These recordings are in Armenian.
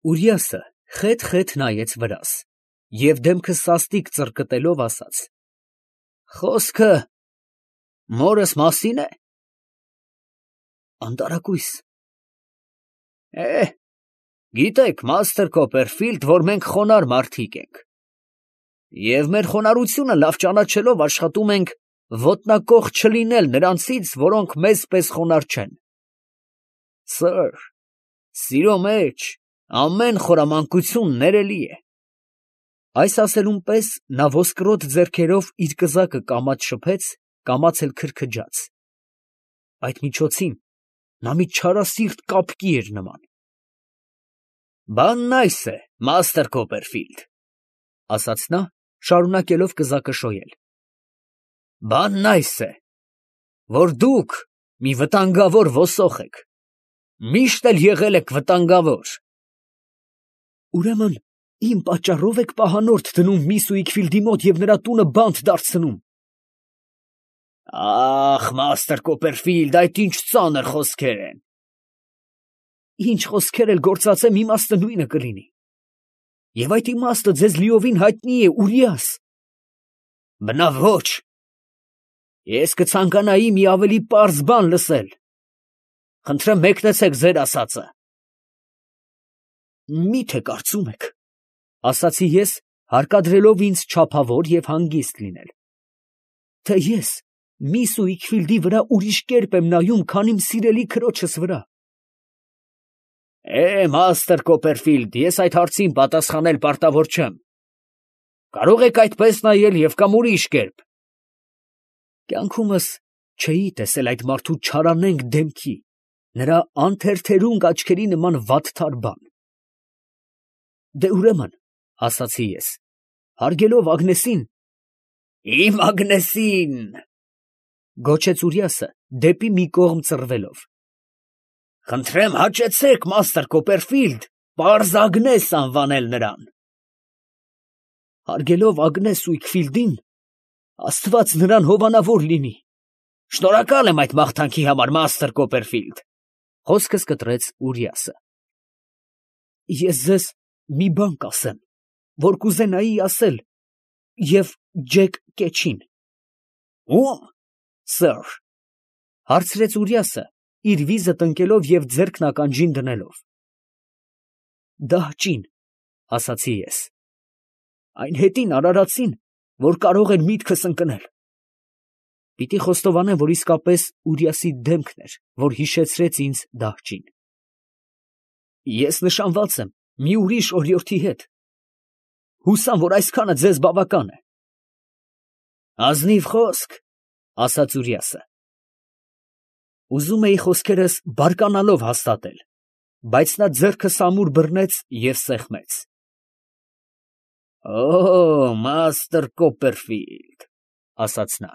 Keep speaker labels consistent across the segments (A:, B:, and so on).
A: Ուրիասը խետ նայեց վրաս և դեմքը սաստիկ ծռկտելով ասաց. Խոսքը մորս մասին է։ Անտարակույս։ Գիտեք, մաստր Քոփերֆիլդ, որ մենք խոնարհ մարդիկ ենք, և մեր խոնարհությունը լավ ճանաչելով աշխատում ենք ոտնակոխ չլինել նրանցից, որոնք մեզ պես խոնարհ չեն։ Սըր, սիրո մեջ ամեն խորամանկություն ներելի է։ Այս ասելուն պես նա ոսկրոտ ձեռքերով իր կզակը կամաց շփեց, կամաց էլ քրքջաց։ Այդ միջոցին նա մի չարասիրտ կապկի էր նման։ Բանն այս է, մաստր Քոփերֆիլդ, ասաց նա, շարունակելով կզակը շոյել. բանն այս է, որ դուք մի վտանգավոր ոսող եք, միշտ էլ եղել եք վտանգավոր։ Ուրեմն իմ պատճառով եք պահանորդ դնում միս Ուիկֆիլդի մոտ և նրա տունը բանտ դարձնում։ Ախ, մաստր Քոփերֆիլդ, այդ ինչ ծանր խոսքեր են։ Ինչ խոսքեր էլ գործածեմ, իմաստը նույնը կլինի։ Եվ այդ իմաստը ձեզ լիովին հայտնի է, Ուրիաս։ Բնավ ոչ։ Ես կցանկանայի մի ավելի պարզ բան լսել։ Խնդրեմ մեկնեցեք ձեր ասածը։ Մի՞թե կարծում եք, ասացի ես, հարկադրելով ինձ չափավոր և հանգիստ լինել, թե ես միս Ուիկֆիլդի վրա ուրիշ կերպ եմ նայում, քան իմ սիրելի քրոջս վրա։ Մաստր Քոփերֆիլդ, ես այդ հարցին պատասխանել պարտավոր չեմ։ Կարող եք այդպես նայել և կամ ուրիշ կերպ։ Կյանքումս չէի տեսել այդ մարդու չարանենգ դեմքի, նրա անթերթերունգ աչքերի նման վատթար բան։ Դե ուրեմն, ասացի ես, հարգելով Ագնեսին… Իմ Ագնեսին… գոչեց Ուրիասը դեպի մի կողմ ծռվելով։ Խնդրեմ հաճեցեք, մաստր Քոփերֆիլդ, պարզ Ագնես անվանել նրան։ Հարգելով Ագնես Ուիկֆիլդին, Աստված նրան հովանավոր լինի։ Շնորհակալ եմ այդ մաղթանքի համար, մաստր Քոփերֆիլդ, խոսքս կտրեց Ուրիասը։ Ես ձեզ մի բան կասեմ, որ կուզենայի ասել և Ջեք Կեչին։ Ո՞ւմ, սըր, հարցրեց Ուրիասը, իր վիզը տնկելով և ձեռքն ականջին դնելով։ Դահճին, ասացի ես, այն հետին արարածին, որ կարող էր միտքս ընկնել։ Պիտի խոստովանեմ, որ իսկապես Ուրիասի դեմքն էր, որ հիշեցրեց ինձ դահճին։ Ես նշանված եմ մի ուրիշ օրիորդի հետ։ Հուսամ, որ այսքանը ձեզ բավական է։ Ազնիվ խոսք, ասաց Ուրիասը։ Ուզում էի խոսքերս բարկանալով հաստատել, բայց նա ձեռքս ամուր բռնեց և սեղմեց։ Մաստր Քոփերֆիլդ, ասաց նա,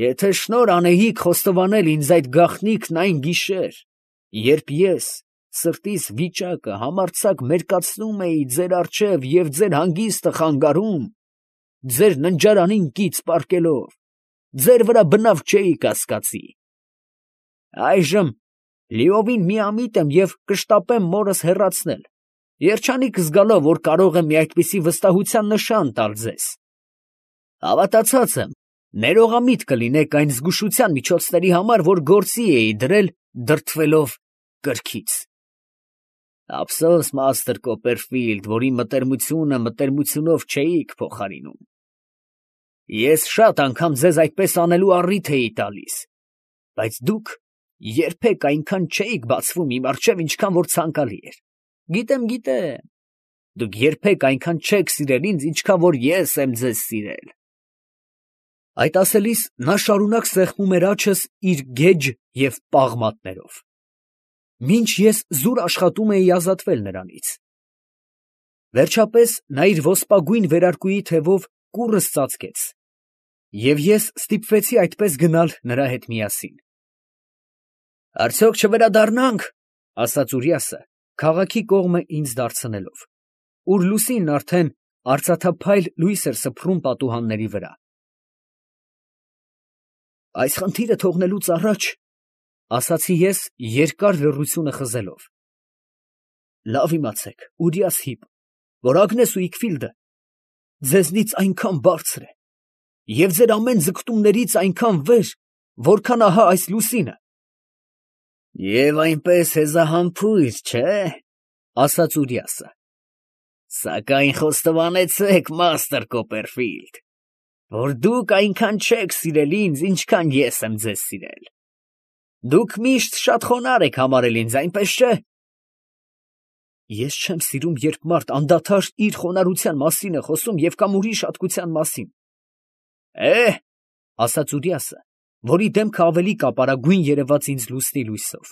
A: եթե շնոր անեիք խոստովանել ինձ այդ գաղտնիքն այն գիշեր, երբ ես սրտիս վիճակը համարձակ մերկացնում էի ձեր առջև և ձեր հանգիստը խանգարում, ձեր ննջարանին կից պառկելով, ձեր վրա բնավ չէի կասկածի։ Այժմ լիովին միամիտ եմ և կշտապեմ մորս հեռացնել, երջանիկ զգալով, որ կարող եմ մի այդպիսի վստահության նշան տալ ձեզ։ Հավատացած եմ, ներողամիտ կլինեք այն զգուշության միջոցների համար, որ գործի էի դրել դրդվելով կրքից։ Ափսոս, մաստր Քոփերֆիլդ, որ իմ մտերմությունը մտերմությունով չէիք փոխարինում։ Ես շատ անգամ ձեզ այդպես անելու առիթ էի տալիս, բայց դուք երբեք այնքան չէիք բացվում իմ առջև, ինչքան որ ցանկալի էր։ Գիտեմ, դուք երբեք այնքան չեք սիրել ինձ, ինչքան որ ես եմ ձեզ սիրել։ Այդ ասելիս նա շարունակ սեղմում էր աջս իր գեջ և պաղ մատներով, մինչ ես զուր աշխատում էի ազատվել նրանից։ Վերջապես նա իր ոսպագույն վերարկուի թևով կուռս ծածկեց, և ես ստիպվեցի այդպես գնալ նրա հետ միասին։ Արդյոք չվերադառնա՞նք, ասաց Ուրիասը, քաղաքի կողմը ինձ դարձնելով, ուր լուսինն արդեն արծաթափայլ լույս էր սփռում պատուհանների վրա։ Այս խնդիրը թողնելուց առաջ, ասացի ես երկար լռությունը խզելով, Լավ իմացեք, Ուրիաս Հիպ, որ Ագնես ու Իքֆիլդը ձեզնից այնքան բարձր է, և ձեր ամեն ձգտումներից այնքան վեր, որքան ահա այս լուսինը։ Եվ այնպես հեզահամբույր, չէ՞, ասաց Ուրիասը։ Սակայն խոստովանեցեք, մաստր Կոպերֆիլդ, որ դուք այնքան չեք սիրել ինձ, ինչքան ես եմ ձեզ սիրել։ Դուք միշտ շատ խոնարհ եք համարել ինձ, այնպես չէ՞։ Ես չեմ սիրում, երբ մարդ անդադար իր խոնարհության մասին է խոսում և կամ ուրիշ հատկության մասին։ Ասաց Ուրիասը, որի դեմքը ավելի կապարագույն երևաց ինձ լուսնի լույսով։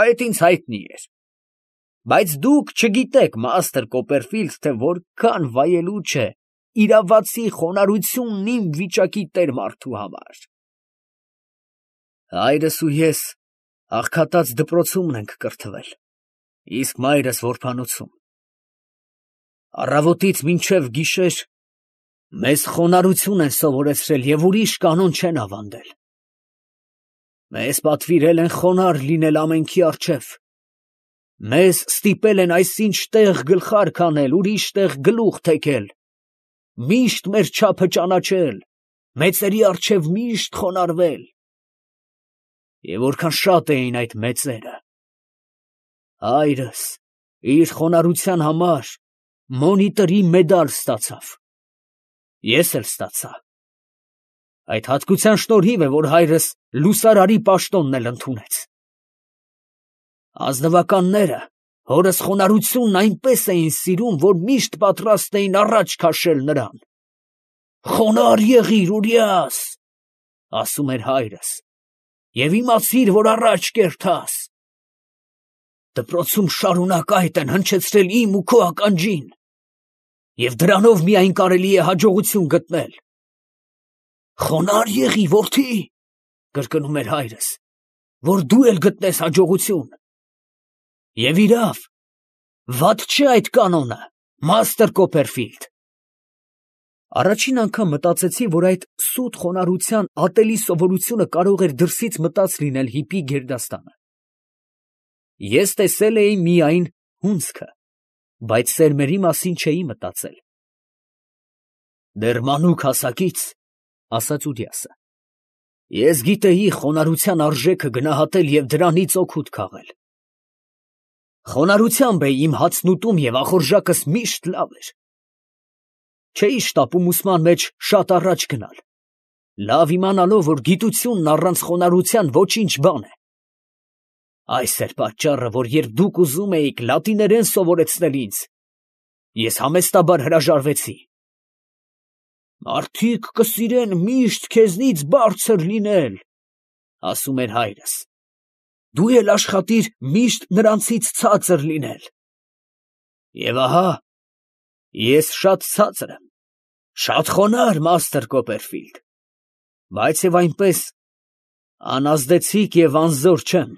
A: Այդ ինձ հայտնի էր։ Բայց դուք չգիտեք, մաստր Կոպերֆիլդ, թե որքան վայելուչ է իրավացի խոնարհությունն իմ վիճակի տեր մարդու համար։ Հայրս ու ես աղքատած դպրոցումն ենք կրթվել, իսկ մայրս որբանոցում։ Առավոտից մինչև գիշեր մեզ խոնարհություն են սովորեցրել և ուրիշ կանոն չեն ավանդել։ Մեզ պատվիրել են խոնարհ լինել ամենքի առջև։ Մեզ ստիպել են այսինչ տեղ գլխարկ անել, ուրիշ տեղ գլուխ թեքել, միշտ մեր չափը ճանաչել, մեծերի առջև միշտ խոնարհվել։ Եվ որքան շատ էին այդ մեծերը։ Հայրս իր խոնարհության համար մոնիտորի մեդալ ստացավ։ Ես էլ ստացա։ Այդ հատկության շնորհիվ է, որ հայրս լուսարարի պաշտոնն էլ ընդունեց։ Ազնվականները հորս խոնարհությունն այնպես էին սիրում, որ միշտ պատրաստ էին առաջ քաշել նրան։ «Խոնարհ եղիր, Ուրիաս», ասում էր հայրս, «և իմացիր, որ առաջ կերթաս։ Դպրոցում շարունակ այդ են հնչեցրել իմ ու քո ականջին, և դրանով միայն կարելի է հաջողություն գտնել։ Խոնարհ եղի, որդի, կրկնում էր հայրս, որ դու էլ գտնես հաջողություն։ Եվ իրավ, վատ չէ այդ կանոնը, մաստր Կոպերֆիլդ։ Առաջին անգամ մտածեցի, որ այդ սուտ խոնարհության ատելի սովորությունը կարող էր դրսից մտած լինել Հիպի գերդաստանը։ Ես տեսել էի միայն հունձքը, բայց սերմերի մասին չէի մտածել։ Դեռ մանուկ հասակից, ասաց Ուրիասը, ես գիտեի խոնարհության արժեքը գնահատել և դրանից օգուտ քաղել։ Խոնարհությամբ էի իմ հացն ուտում և ախորժակս միշտ լավ էր։ Չէի շտապում ուսման մեջ շատ առաջ գնալ, լավ իմանալով, որ գիտությունն առանց խոնարհության ոչինչ բան է։ Այս էր պատճառը, որ երբ դուք ուզում էիք լատիներեն սովորեցնել ինձ, ես համեստաբար հրաժարվեցի։ Մարդիկ կսիրեն միշտ քեզնից բարձր լինել, ասում էր հայրս, դու էլ աշխատիր միշտ նրանցից ցածր լինել։ Եվ ահա, ես շատ ցածր եմ, շատ խոնարհ, մաստր Կոպերֆիլդ, բայց և այնպես անազդեցիկ և անզոր չեմ։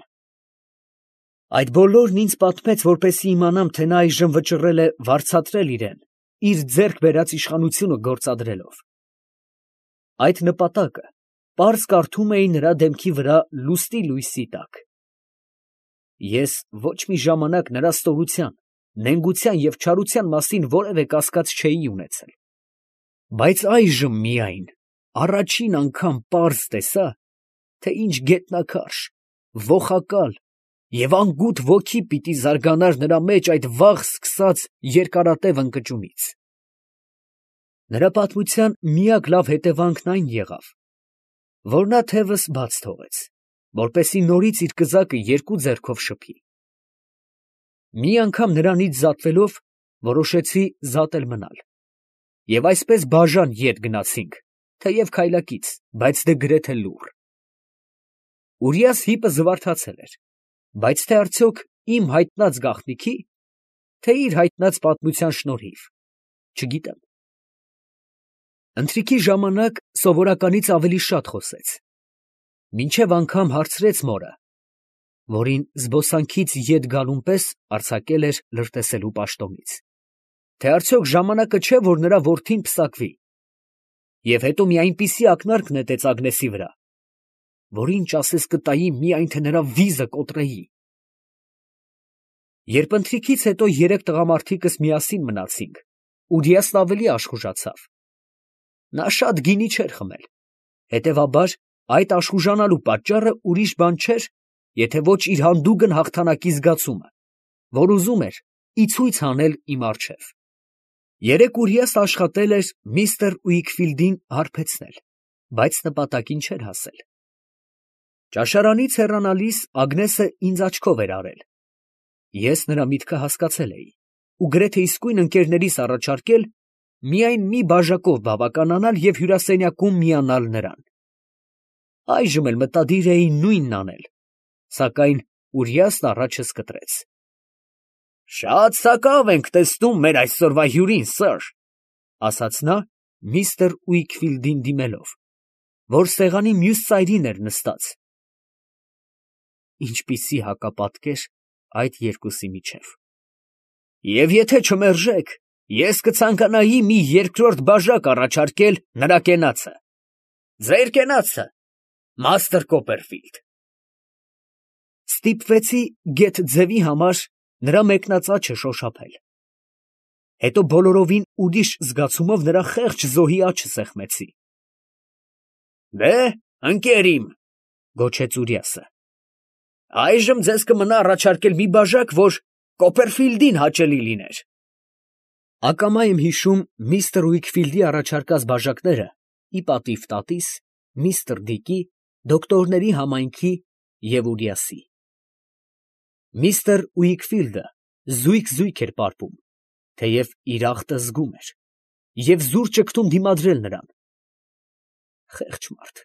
A: Այդ բոլորն ինձ պատմեց, որպեսզի իմանամ, թե նա այժմ վճռել է վարձատրել իրեն, իր ձեռք բերած իշխանությունը գործադրելով։ Այդ նպատակը պարզ կարդում էի նրա դեմքի վրա լուսնի լույսի տակ։ Ես ոչ մի ժամանակ նրա ստորության, նենգության և չարության մասին որևէ կասկած չէի ունեցել։ Բայց այժմ միայն առաջին անգամ պարզ տեսա, թե ինչ գետնաքարշ, ոխակալ և անգութ ոգի պիտի զարգանար նրա մեջ այդ վաղ սկսած երկարատև ընկճումից։ Նրա պատմության միակ լավ հետևանքն այն եղավ, որ նա թևս բաց թողեց, որպեսզի նորից իր կզակը երկու ձեռքով շփի։ Մի անգամ նրանից զատվելով, որոշեցի զատել մնալ, և այսպես բաժան ետ գնացինք, թեև քայլակից, բայց դե գրեթե լուռ։ Ուրիաս Հիպը զվարթացել էր, բայց թե արդյոք իմ հայտնած գաղտնիքի, թե իր հայտնած պատմության շնորհիվ, չգիտեմ։ Ընթրիքի ժամանակ սովորականից ավելի շատ խոսեց, մինչև անգամ հարցրեց մորը, որին զբոսանքից ետ գալուն պես արձակել էր լրտեսելու պաշտոնից, թե արդյոք ժամանակը չէ, որ նրա որդին պսակվի, և հետո մի այնպիսի ակնարկ նետեց Ագնեսի վրա, որ ինչ ասես կտայի, միայն թե նրա վիզը կոտրեի։ Երբ ընթրիքից հետո երեք տղամարդիկս միասին մնացինք, Ուրիասն ավելի աշխուժացավ։ Նա շատ գինի չէր խմել, հետևաբար այդ աշխուժանալու պատճառը ուրիշ բան չէր, եթե ոչ իր հանդուգն հաղթանակի զգացումը, որ ուզում էր ի ցույց անել իմ առջև։ Երեկ Ուրիասը աշխատել էր միստր Ուիքֆիլդին հարբեցնել, բայց նպատակին չէր հասել։ Ճաշարանից հեռանալիս Ագնեսը ինձ աչքով էր արել։ Ես նրա միտքը հասկացել էի ու գրեթե իսկույն ընկերներիս առաջարկել միայն մի բաժակով բավականանալ և հյուրասենյակում միանալ նրան։ Այժմ էլ մտադիր էի նույնն անել, սակայն Ուրիասն առաջս կտրեց։ «Շատ սակավ ենք տեսնում մեր այսօրվա հյուրին, սըր», ասաց նա միստր Ուիքֆիլդին դիմելով, որ սեղանի մյուս ծայրին էր նստած։ Ինչպիսի հակապատկեր այդ երկուսի միջև։ «Եվ եթե չմերժեք, ես կցանկանայի մի երկրորդ բաժակ առաջարկել նրա կենացը, ձեր կենացը, մաստր Կոպերֆիլդ»։ Ստիպվեցի գեթ ձևի համար նրա մեկնած աչը շոշափել։ Հետո բոլորովին ուրիշ զգացումով նրա խեղճ զոհի աչը սեղմեցի։ «Դե, ընկեր իմ», գոչեց Ուրիասը, «այժմ ձեզ կմնա առաջարկել մի բաժակ, որ Կոպերֆիլդին հաճելի լիներ»։ Ակամա եմ հիշում միստր Ուիքֆիլդի առաջարկած բաժակները ի պատիվ տատիս, միստր Դիկի, դոկտորների համայնքի և Ուրիասի։ Միստր Ուիքֆիլդը զույգ էր պարպում, թեև իր ախտը զգում էր, և զուր ճգտում դիմադրել նրան։ Խեղճ մարդ,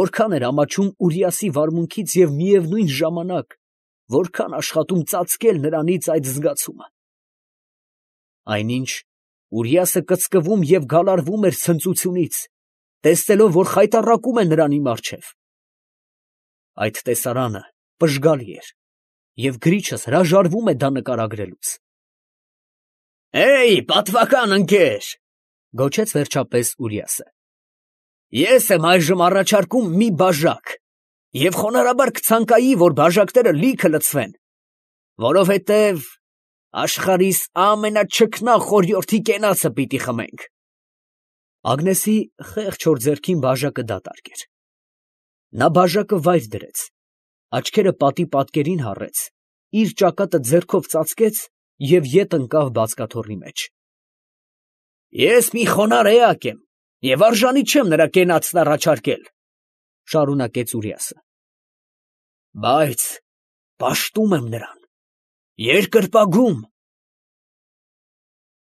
A: որքան էր ամաչում Ուրիասի վարմունքից և միևնույն ժամանակ որքան աշխատում ծածկել նրանից այդ զգացումը։ Այնինչ Ուրիասը կծկվում և գալարվում էր ցնծությունից, տեսնելով, որ խայտառակում է նրան իմ առջև։ Այդ տեսարանը պժգալի էր, և գրիչս հրաժարվում է դա նկարագրելուց։ «Էյ, պատվական ընկեր», գոչեց վերջապես Ուրիասը, «ես եմ այժմ առաջարկում մի բաժակ և խոնարհաբար կցանկայի, որ բաժակները լիքը լցվեն, որովհետև աշխարհիս ամենաչքնաղ խորհրդի կենացը պիտի խմենք»։ Ագնեսի խեղճ հոր ձեռքին բաժակը դատարկ էր։ Նա բաժակը վայր դրեց, աչքերը պատի պատկերին հառեց, իր ճակատը ձեռքով ծածկեց և ետ ընկավ բազկաթոռի մեջ։ «Ես մի խոնարհ էակ եմ և արժանի չեմ նրա կենացն առաջարկել», շարունակեց Ուրիասը, «բայց պաշտում եմ նրան, երկրպագում